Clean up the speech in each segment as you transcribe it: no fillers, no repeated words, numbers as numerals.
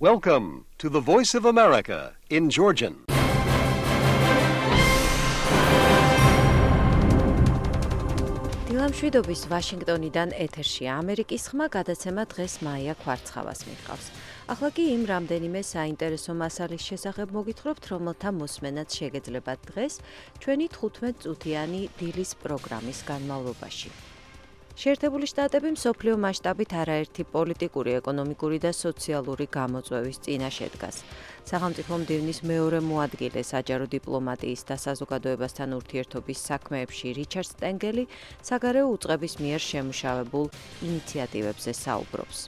Welcome to the Voice of America in Georgian. დილამშვიდობის ვაშინგტონიდან ეთერშია ამერიკის ხმა გადაცემა დღეს მაია კვარცხავას მიჰყავს. ახლა კი იმ რამდენიმე საინტერესო მასალის შესახებ მოგითხრობთ, რომელთა მოსმენაც შეგეძლებათ დღეს ჩვენი 15 წუთიანი დილის პროგრამის განმავლობაში. შეერთებული შტატები მსოფლიო მასშტაბით არაერთი პოლიტიკური, ეკონომიკური და სოციალური გამოწვევის წინაშე დგას. სახელმწიფო მდივნის მეორე მოადგილე საჯარო დიპლომატიის და საზოგადოებასთან ურთიერთობის საქმეებში რიჩარდ სტენგელი საგარეო უწყების მიერ შემუშავებულ ინიციატივებზე საუბრობს.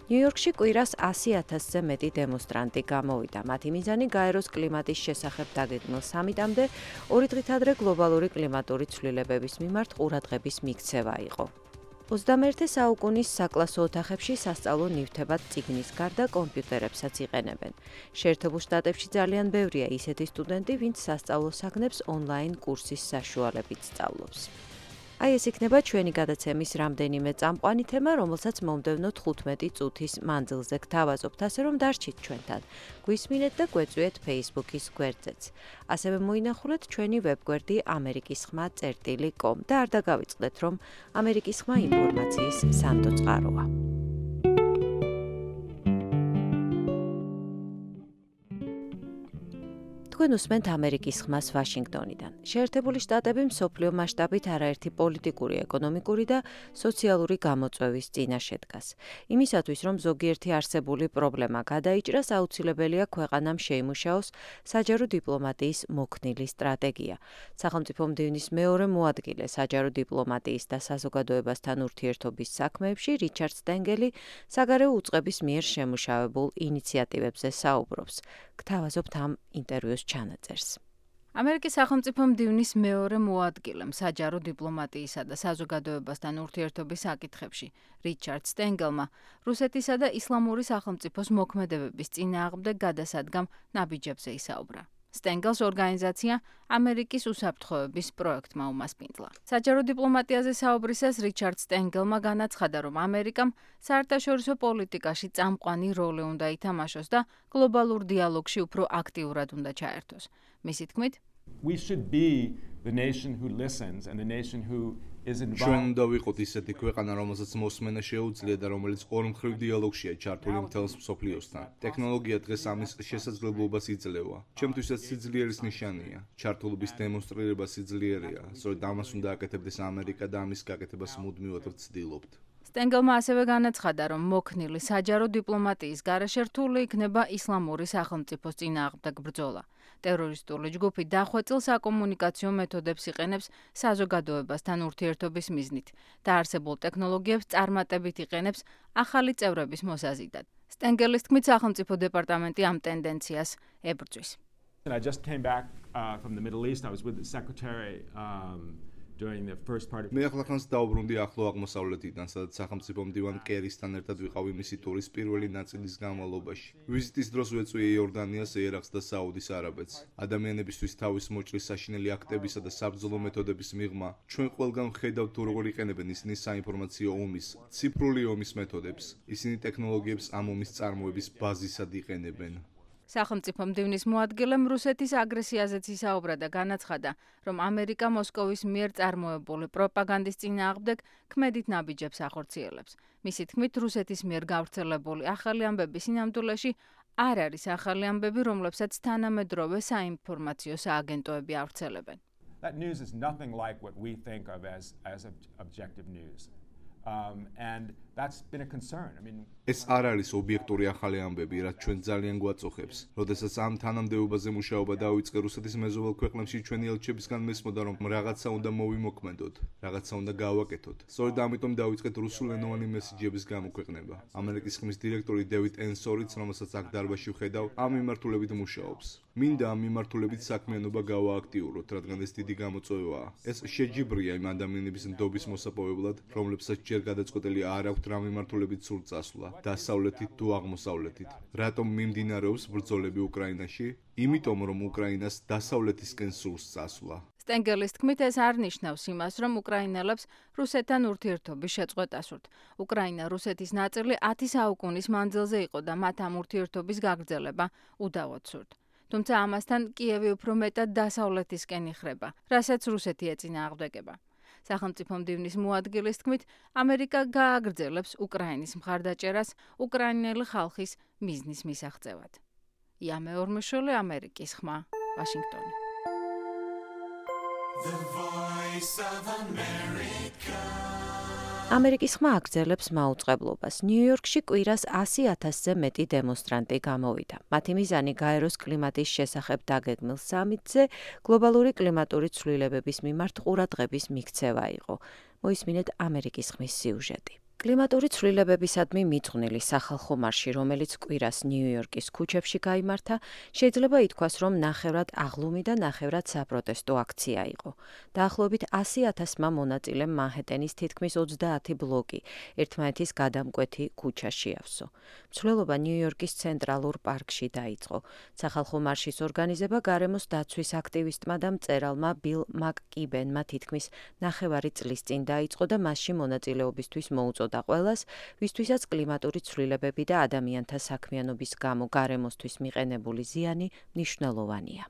ნიუ-იორკში კვირას 100,000-ზე მეტი დემონსტრანტი გამოვიდა. მათი მიზანი გაეროს კლიმატის შესახებ დაგეგმილ სამიტამდე 2 დღით ადრე გლობალური კლიმატური ცვლილებების მიმართ ყურადღების მიქცევა იყო. 21 საუკუნის საკლასო ოთახებში სასწავლო ნივთებად წიგნის გარდა კომპიუტერებსაც იყენებენ. შეერთებულ შტატებში ძალიან ბევრია ისეთი სტუდენტი, ვინც სასწავლო საგნებს ონლაინ კურსის საშუალებით სწავლობს. აი ეს იქნება ჩვენი გადაცემის რამდენიმე წამყვანი თემა, რომელსაც მომდევნო 15 წუთის მანძილზე გთავაზობთ, ასე რომ დარჩით ჩვენთან. გვისმინეთ და გვეწვიეთ Facebook-ის გვერდზეც. ასევე მოინახულეთ ჩვენი ვებგვერდი amerikisxma.com და არ დაგავიწყდეთ, რომ ამერიკის ხმა ინფორმაციის სანდო წყაროა. თქვენ უსმენთ ამერიკის ხმას ვაშინგტონიდან. შეერთებული შტატები მსოფლიო მასშტაბით არაერთი პოლიტიკური, ეკონომიკური და სოციალური გამოწვევის წინაშე დგას. იმისათვის, რომ ზოგიერთი არსებული პრობლემა გადაიჭრას, აუცილებელია ქვეყანამ შეიმუშაოს საჯარო დიპლომატიის მოქნილი სტრატეგია. სახელმწიფო მდივნის მეორე მოადგილე საჯარო დიპლომატიის და საზოგადოებასთან ურთიერთობის საქმეებში რიჩარდ სტენგელი საგარეო უწყების მიერ შემუშავებულ ინიციატივებზე საუბრობს. გთავაზობთ ამ ინტერვიუს ჩანაწერს. ამერიკის სახელმწიფო მდივნის მეორე მოადგილემ საჯარო დიპლომატიისა და საზოგადოებასთან ურთიერთობის საკითხებში რიჩარდ სტენგელმა რუსეთისა და ისლამური სახელმწიფოს მოქმედებების წინააღმდეგ გადასადგამ ნაბიჯებზე ისაუბრა. სტენგელს ორგანიზაცია ამერიკის უსაფრთხოების პროექტმა უმასპინძლა. საჯარო დიპლომატიაზე საუბრისას რიჩარდ სტენგელმა განაცხადა, რომ ამერიკამ საერთაშორისო პოლიტიკაში წამყვანი როლი უნდა ითამაშოს და გლობალურ დიალოგში უფრო აქტიურად უნდა ჩაერთოს. მისი თქმით, We should be the nation who listens and the nation who is involved. ჩვენ უნდა ვიყოთ ისეთი ქვეყანა, რომელსაც მოსმენა შეუძლია და რომელიც ორმხრივ დიალოგშია ჩართული მთელს მსოფლიოსთან. ტექნოლოგია დღეს ამის შესაძლებლობას იძლევა. ჩემთვისაც სიძლიერის ნიშანია. ჩართულობის დემონსტრირება სიძლიერია. სწორედ ამას უნდა აკეთებდეს ამერიკა და ამის გაკეთებას მუდმივად ვცდილობთ. სტენგელმა ასევე განაცხადა, რომ მოქნილი საჯარო დიპლომატიის გარეშე რთული იქნება ისლამური სახელმწიფოს წინააღმდეგ ბრძოლა. ტერორისტული ჯგუფი დახვეწილ საკომუნიკაციო მეთოდებს იყენებს საზოგადოებასთან ურთიერთობის მიზნით და არსებულ ტექნოლოგიებს წარმატებით იყენებს ახალი წევრების მოსაზიდად. სტენგელის თქმით, სახელმწიფო დეპარტამენტი ამ ტენდენციას ებრძვის. I just came back from the Middle East. I was with the secretary during the first part of მე ახლახანს დაუბრუნდი ახლო აღმოსავლეთიდან, სადაც სახელმწიფო მდივან კერისთან ერთად ვიყავი მისი ტურის პირველი ნაწილის განმავლობაში. ვიზიტის დროს ვეწვიე იორდანიას, ერაყს და საუდის არაბეთს. ადამიანებისთვის თავის მოჭრის საშინელი აქტებისა და საბრძოლო მეთოდების მიღმა, ჩვენ ყველგან ვხედავთ თუ როგორ იყენებენ ისინი საინფორმაციო ომის, ციფრული ომის მეთოდებს. ისინი ტექნოლოგიებს ამ ომის წარმოების ბაზისად იყენებენ. სახელმწიფო მდივნის მოადგილემ რუსეთის აგრესიაზეც ისაუბრა და განაცხადა, რომ ამერიკა მოსკოვის მიერ წარმოებული პროპაგანდის წინააღმდეგ ქმედით ნაბიჯებს ახორციელებს. მისი თქმით, რუსეთის მიერ გავრცელებული ახალი ამბები სინამდვილეში არ არის ახალი ამბები, რომლებსაც თანამედროვე საინფორმაციო სააგენტოები ავრცელებენ. That news is nothing like what we think of as objective news. And that's been a concern. I mean, ეს არ არის ობიექტური ახალი ამბები, რაც ჩვენ ძალიან გვაწუხებს. როდესაც ამ თანამდებობაზე მუშაობა დაიწყე რუსეთის მეზობელ ქვეყნებში, ჩვენი ელჩებისგან მესმოდა, რომ რაღაცა უნდა მოვიმოქმედოთ, რაღაცა უნდა გავაკეთოთ. სწორედ ამიტომ დაიწყეთ რუსულენოვანი მესიჯების გამოქვეყნება. ამერიკის ხმის დირექტორი დევიდ ენსორიც, რომელსაც აქ დარბაზში ვხედავ, ამ მიმართულებით მუშაობს. მინდა ამ მიმართულებით საქმიანობა გავააქტიუროთ, რადგან ეს დიდი გამოწვევაა. ეს შეჯიბრია იმ ადამიანების ნდობის მოსაპოვებლად, რომლებსაც ჯერ გადაწყვეტილი არ აქვთ რა მიმართულებით სურთ წასვლა, დასავლეთით თუ აღმოსავლეთით. რატომ მიმდინარეობს ბრძოლები უკრაინაში? იმიტომ, რომ უკრაინას დასავლეთისკენ სურს წასვლა. სტენგელის თქმით, ეს არ ნიშნავს იმას, რომ უკრაინელებს რუსეთთან ურთიერთობის შეწყვეტა სურთ. უკრაინა რუსეთის ნაწილი 10 საუკუნის მანძილზე იყო და მათ ამ ურთიერთობის გაგრძელება უდავოდ სურთ. თუმცა ამასთან კიევი უფრო მეტად დასავლეთისკენ იხრება, რასაც რუსეთი ეწინააღმდეგება. სახელმწიფო მდივნის მოადგილის თქმით, ამერიკა გააგრძელებს უკრაინის მხარდაჭერას უკრაინელი ხალხის მიზნის მისაღწევად. იამე ორმიშოლე, ამერიკის ხმა, ვაშინგტონი. ამერიკის ხმა აგრძელებს მაუწყებლობას. ნიუ-იორკში კვირას 100,000-ზე მეტი დემონსტრანტი გამოვიდა. მათი მიზანი გაეროს კლიმატის შესახებ დაგეგმილ სამიტზე გლობალური კლიმატური ცვლილებების მიმართ ყურადღების მიქცევა იყო. მოისმინეთ ამერიკის ხმის სიუჟეტი. კლიმატური ცვლილებებისადმი მიძღვნილი სახალხო მარში, რომელიც კვირას ნიუ-იორკის ქუჩებში გაიმართა, შეიძლება ითქვას, რომ ნახევრად აღლუმი და ნახევრად საპროტესტო აქცია იყო. დაახლოებით 100,000-მა მონაწილემ მანჰეტენის თითქმის 30 ბლოკი ერთმანეთის გადამკვეთი ქუჩა შეავსო. მცვლელობა ნიუ-იორკის ცენტრალურ პარკში დაიწყო. სახალხო მარშის ორგანიზება გარემოს დაცვის აქტივისტმა და მწერალმა ბილ მაკკიბენმა თითქმის ნახევარი წლის წინ დაიწყო და მასში მონაწილეობისთვის მოუწოდა ყველას, ვისთვისაც კლიმატური ცვლილებები და ადამიანთა საქმიანობის გამო გარემოსთვის მიყენებული ზიანი მნიშვნელოვანია.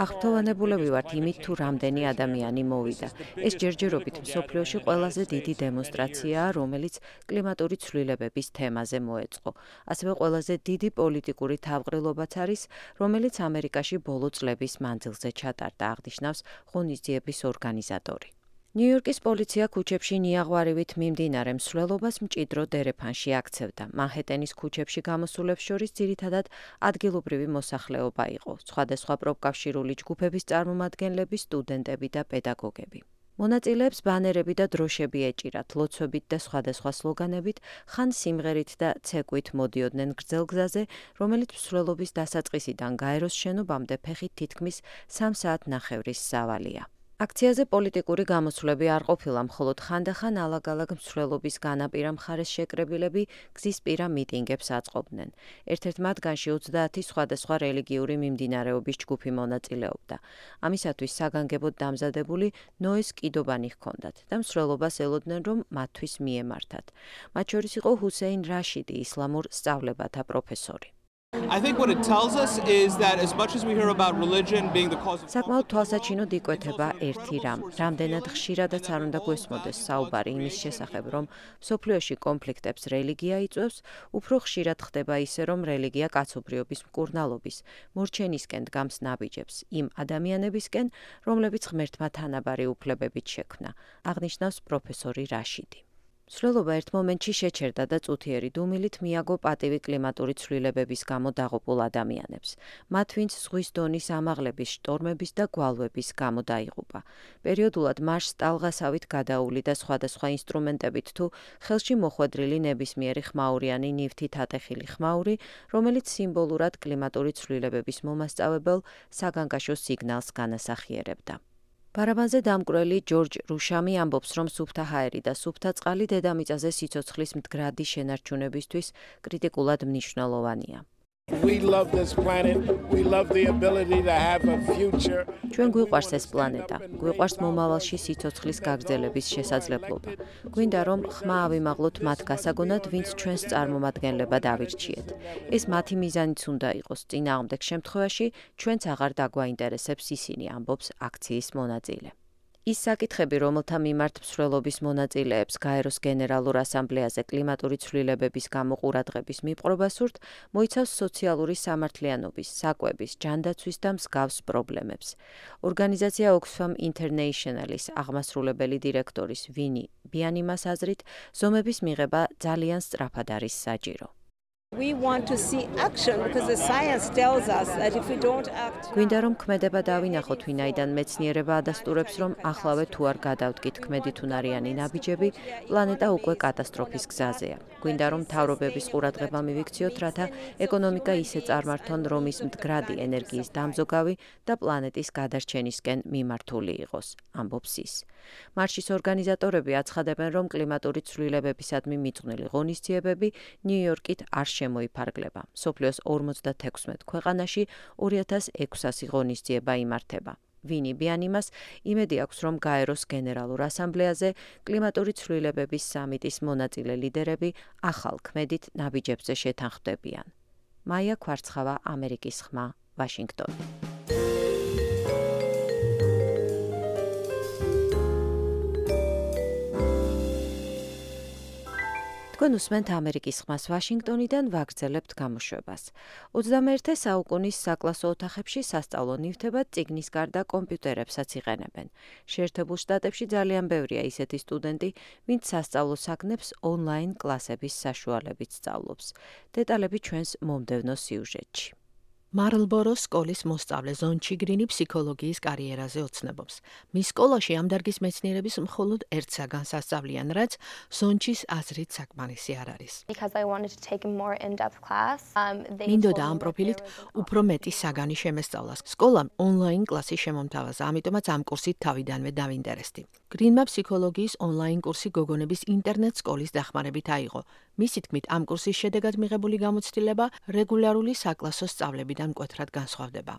აღფრთოვანებულები ვართ იმით, თუ რამდენი ადამიანი მოვიდა. ეს ჯერჯერობით მსოფლიოში ყველაზე დიდი დემონსტრაციაა, რომელიც კლიმატური ცვლილებების თემაზე მოეწყო. ასევე ყველაზე დიდი პოლიტიკური თავყრილობაც არის, რომელიც ამერიკაში ბოლო წლების მანძილზე ჩატარდა, აღნიშნავს ღონისძიების ორგანიზატორი. ნიუ-იორკის პოლიცია ქუჩებში ნიაღვარივით მიმდინარე მსვლელობას მჭიდრო დერეფანში აქცევდა. მანჰეტენის ქუჩებში გამოსულებს შორის ძირითადად ადგილობრივი მოსახლეობა იყო, სხვადასხვა პროფკავშირული ჯგუფების წარმომადგენლები, სტუდენტები და პედაგოგები. მონაწილეებს ბანერები და დროშები ეჭირათ, ლოცვებით და სხვადასხვა სლოგანებით, ხან სიმღერით და ცეკვით მოდიოდნენ გრძელგზაზე, რომელიც მსვლელობის დასაწყისიდან გაეროს შენობამდე ფეხით თითქმის 3 საათნახევრის სავალია. აქციაზე პოლიტიკური გამოსვლები არ ყოფილა, მხოლოდ ხანდახან ალაგ-ალაგ მსვლელობის განაპირა მხარეს შეკრებილები გზისპირა მიტინგებს აწყობდნენ. ერთ-ერთ მათგანში 30 სხვადასხვა რელიგიური მიმდინარეობის ჯგუფი მონაწილეობდა. ამისათვის საგანგებოდ დამზადებული ნოეს კიდობანი ჰქონდათ და მსვლელობას ელოდნენ, რომ მათთვის მიემართათ. მათ შორის იყო ჰუსეინ რაშიდი, ისლამურ სწავლებათა პროფესორი. I think what it tells us is that as much as we hear about religion being the cause of საკმაოდ თვალსაჩინოდ იკვეთება ერთი რამ. რამდენად ხშირადაც არ უნდა გვესმოდეს საუბარი იმის შესახებ, რომ მსოფლიოში კონფლიქტებს რელიგია იწვევს, უფრო ხშირად ხდება ისე, რომ რელიგია კაცობრიობის მკურნალობის, მორჩენისკენ დგამს ნაბიჯებს, იმ ადამიანებისკენ, რომლებიც ღმერთმა თანაბარი უფლებებით შექმნა, აღნიშნავს პროფესორი რაშიდი. მსვლელობა ერთ მომენტში შეჩერდა და წუთიერი დუმილით მიაგო პატივი კლიმატური ცვლილებების გამო დაღუპულ ადამიანებს. მათ, ვინც ზღვის დონის ამაღლების, შტორმების და გვალვების გამო დაიღუპა. პერიოდულად მარშს ტალღასავით გადაული და სხვადასხვა ინსტრუმენტებით თუ ხელში მოხვედრილი ნებისმიერი ხმაურიანი ნივთით ატეხილი ხმაური, რომელიც სიმბოლურად კლიმატური ცვლილებების მომასწავებელ საგანგაშო სიგნალს განასახიერებდა. ბარაბანზე დამკვრელი ჯორჯ რუშამი ამბობს, რომ სუფთა ჰაერი და სუფთა წყალი დედამიწაზე სიცოცხლის მდგრადი შენარჩუნებისთვის კრიტიკულად მნიშვნელოვანია. ჩვენ გვიყვარს ეს პლანეტა, გვიყვარს მომავალში სიცოცხლის გაგრძელების შესაძლებლობა. გვინდა, რომ ხმა ავიმაღლოთ მათ გასაგონად, ვინც ჩვენს წარმომადგენლებად ავირჩიეთ. ეს მათი მიზანიც უნდა იყოს, წინააღმდეგ შემთხვევაში ჩვენც აღარ დაგვაინტერესებს ისინი, ამბობს აქციის მონაწილე. ის საკითხები, რომელთა მიმართ მსვლელობის მონაწილეებს გაეროს გენერალურ ასამბლეაზე კლიმატური ცვლილებების გამო ყურადღების მიპყრობა სურთ, მოიცავს სოციალური სამართლიანობის, საკვების, ჯანდაცვის და მსგავს პრობლემებს. ორგანიზაცია Oxfam International-ის აღმასრულებელი დირექტორის ვინი ბიანიმას აზრით, ზომების მიღება ძალიან სწრაფად არის საჭირო. We want to see action because the science tells us that if we don't act. გვინდა რომ ქმედება დავინახოთ, ვინაიდან მეცნიერება ადასტურებს, რომ ახლავე თუ არ გადავდგით ქმედითუნარიანი ნაბიჯები, პლანეტა უკვე კატასტროფის გზაზეა. გვინდა რომ მთავრობების ყურადღება მივიქციოთ, რათა ეკონომიკა ისე წარმართონ, რომ ის მდგრადი ენერგიის დამზოგავი და პლანეტის გადარჩენისკენ მიმართული იყოს, ამბობს ის. მარშის ორგანიზატორები აცხადებენ, რომ კლიმატური ცვლილებებისადმი მიძღვნილი ღონისძიებები ნიუ-იორკით არ შემოიფარგლება. მსოფლიოს 56 ქვეყანაში 2600 ღონისძიება იმართება. ვინი ბიანიმას იმედი აქვს, რომ გაეროს გენერალურ ასამბლეაზე კლიმატური ცვლილებების სამიტის მონაწილე ლიდერები ახალ ქმედით ნაბიჯებზე შეთანხმდებიან. მაია კვარცხავა, ამერიკის ხმა, ვაშინგტონი. თქვენ უსმენთ ამერიკის ხმას ვაშინგტონიდან, ვაგრძელებთ გამოშვებას. 21 საუკუნის საკლასო ოთახებში სასწავლო ნივთებად წიგნის გარდა კომპიუტერებსაც იყენებენ. შეერთებულ შტატებში ძალიან ბევრია ისეთი სტუდენტი, ვინც სასწავლო საგნებს ონლაინ კლასების საშუალებით სწავლობს. დეტალები ჩვენს მომდევნო სიუჟეტში. მარლბოროს სკოლის მოსწავლე ზონ ჩიგრინი ფსიქოლოგიის კარიერაზე ოცნებობს. მის სკოლაში ამ დარგის მეცნიერების მხოლოდ ერთ საგანს ასწავლიან, რაც ზონჩის აზრით საკმარისი არ არის. მინდოდა ამ პროფილით უფრო მეტი საგანი შემესწავლას. სკოლამ ონლაინ კლასი შემომთავაზა, ამიტომაც ამ კურსით თავიდანვე დავინტერესდი. გრინმა ფსიქოლოგიის ონლაინ კურსი გოგონების ინტერნეტ სკოლის დახმარებით აიღო. მისი თქმით, ამ კურსის შედეგად მიღებული გამოცდილება რეგულარული საკლასო სწავლებიდან მკვეთრად განსხვავდება.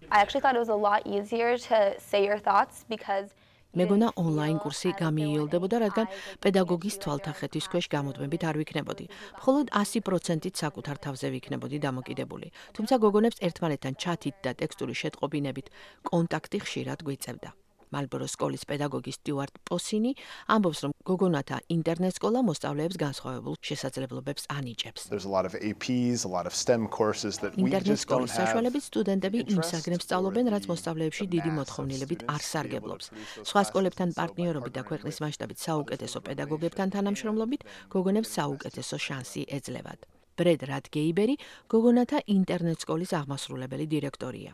მეგონა ონლაინ კურსი გამიიოლდებოდა, რადგან პედაგოგის თვალთახეთის ქვეშ გამუდმებით არ ვიქნებოდი. მხოლოდ 100%-ით საკუთარ თავზე ვიქნებოდი დამოკიდებული. თუმცა გოგონებს ერთმანეთთან ჩათით და ტექსტური შეტყობინებით კონტაქტი ხშირად გვიწევდა. მალბოროს სკოლის პედაგოგი სტიუარტ პოსინი ამბობს, რომ გოგონათა ინტერნეტ სკოლა მოსწავლეებს განსხვავებულ შესაძლებლობებს ანიჭებს. ინტერნეტ სკოლის საშუალებით სტუდენტები იმ საგნებს სწავლობენ, რაც მოსწავლეებში დიდი მოთხოვნილებით არ სარგებლობს. სხვა სკოლებთან პარტნიორობით და ქვეყნის მასშტაბით საუკეთესო პედაგოგებთან თანამშრომლობით გოგონებს საუკეთესო შანსი ეძლევათ. ბრედ რატგეიბერი გოგონათა ინტერნეტ სკოლის აღმასრულებელი დირექტორია.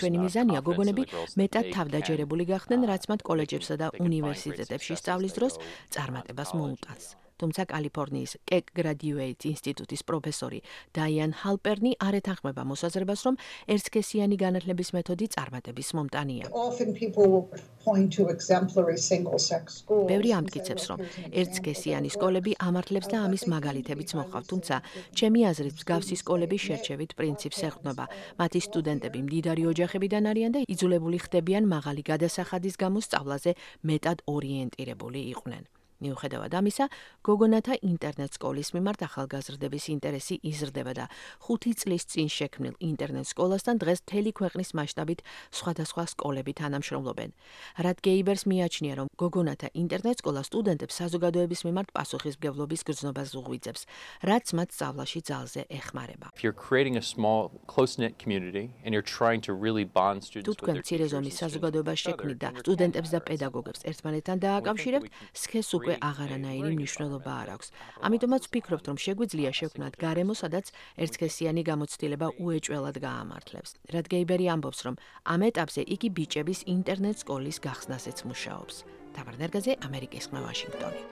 ჩვენი მიზანია გოგონები მეტად თავდაჯერებული გახდნენ, რაც მათ კოლეჯებსა და უნივერსიტეტებში სწავლის დროს წარმატებას მოუტანს. თუმცა კალიფორნიის კეკ გრადიუეიტ ინსტიტუტის პროფესორი დაიან ჰალპერნი არ ეთანხმება მოსაზრებას, რომ ერთსქესიანი განათლების მეთოდი წარმატების მომტანია. ბევრი ამტკიცებს, რომ ერთსქესიანი სკოლები ამართლებს და ამის მაგალითებიც მოყავთ, თუმცა ჩემი აზრით მსგავსი სკოლები შერჩევით პრინციპს ეყრდნობა. მათი სტუდენტები მდიდარი ოჯახებიდან არიან და იძულებული ხდებიან მაღალი გადასახადის გამო სწავლაზე მეტად ორიენტირებული იყვნენ. მიუხედავად ამისა, გოგონათა ინტერნეტ სკოლის მიმართ ახალგაზრდების ინტერესი იზრდება და 5 წლის წინ შექმნილ ინტერნეტ სკოლასთან დღეს მთელი ქვეყნის მასშტაბით სხვადასხვა სკოლები თანამშრომლობენ. რატგეიბერს მიაჩნია, რომ გოგონათა ინტერნეტ სკოლა სტუდენტებს საზოგადოების მიმართ პასუხისმგებლობის გრძნობას უღვიძებს, რაც მათ სწავლაში ძალზე ეხმარება. თუ თქვენ მცირე ზომის საზოგადოებას შექმნით და სტუდენტებს და პედაგოგებს ერთმანეთთან დააკავშირებთ, სქესს უკვე აღარანაირი მნიშვნელობა არ აქვს. ამიტომაც ვფიქრობთ, რომ შეგვიძლია შევქმნათ გარემო, სადაც ერთსქესიანი გამოცდილება უეჭველად გაამართლებს. რატგეიბერი ამბობს, რომ ამ ეტაპზე იგი ბიჭების ინტერნეტ სკოლის გახსნასეც მუშაობს. თამარ ნერგაძე, ამერიკის ხმა, ვაშინგტონი.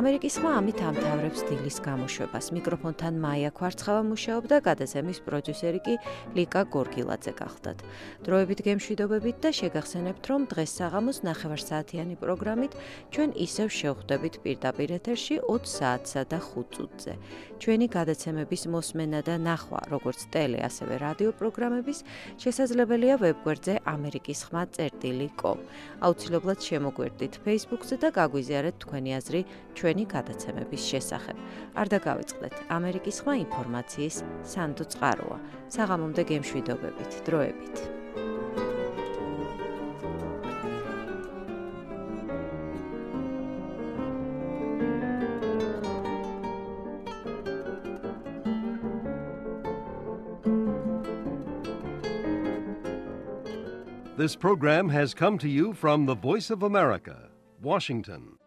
ამერიკის ხმა ამით ამთავრებს დილის გამოშვებას. მიკროფონთან მაია კვარცხავა მუშაობდა, გადაცემის პროდიუსერი კი ლიკა გორგილაძე გახლდათ. დროებით გემშვიდობებით და შეგახსენებთ, რომ დღეს საღამოს 9 საათიანი პროგრამით ჩვენ ისევ შევხვდებით პირდაპირ ეთერში 20 საათსა და 5 წუთზე. ჩვენი გადაცემების მოსმენა და ნახვა, როგორც ტელე, ასევე რადიო პროგრამების შესაძლებელია ვებგვერდზე amerikisxma.com. აუცილებლად შემოგვერდით Facebook-ზე და გაგვიზიარეთ თქვენი აზრი ჩვენი გადაცემების შესახებ. არ დაგავიწყდეთ, ამერიკის ხმა ინფორმაციის სანდო წყაროა. საღამომდე გემშვიდობებით, დროებით. This program has come to you from the Voice of America, Washington.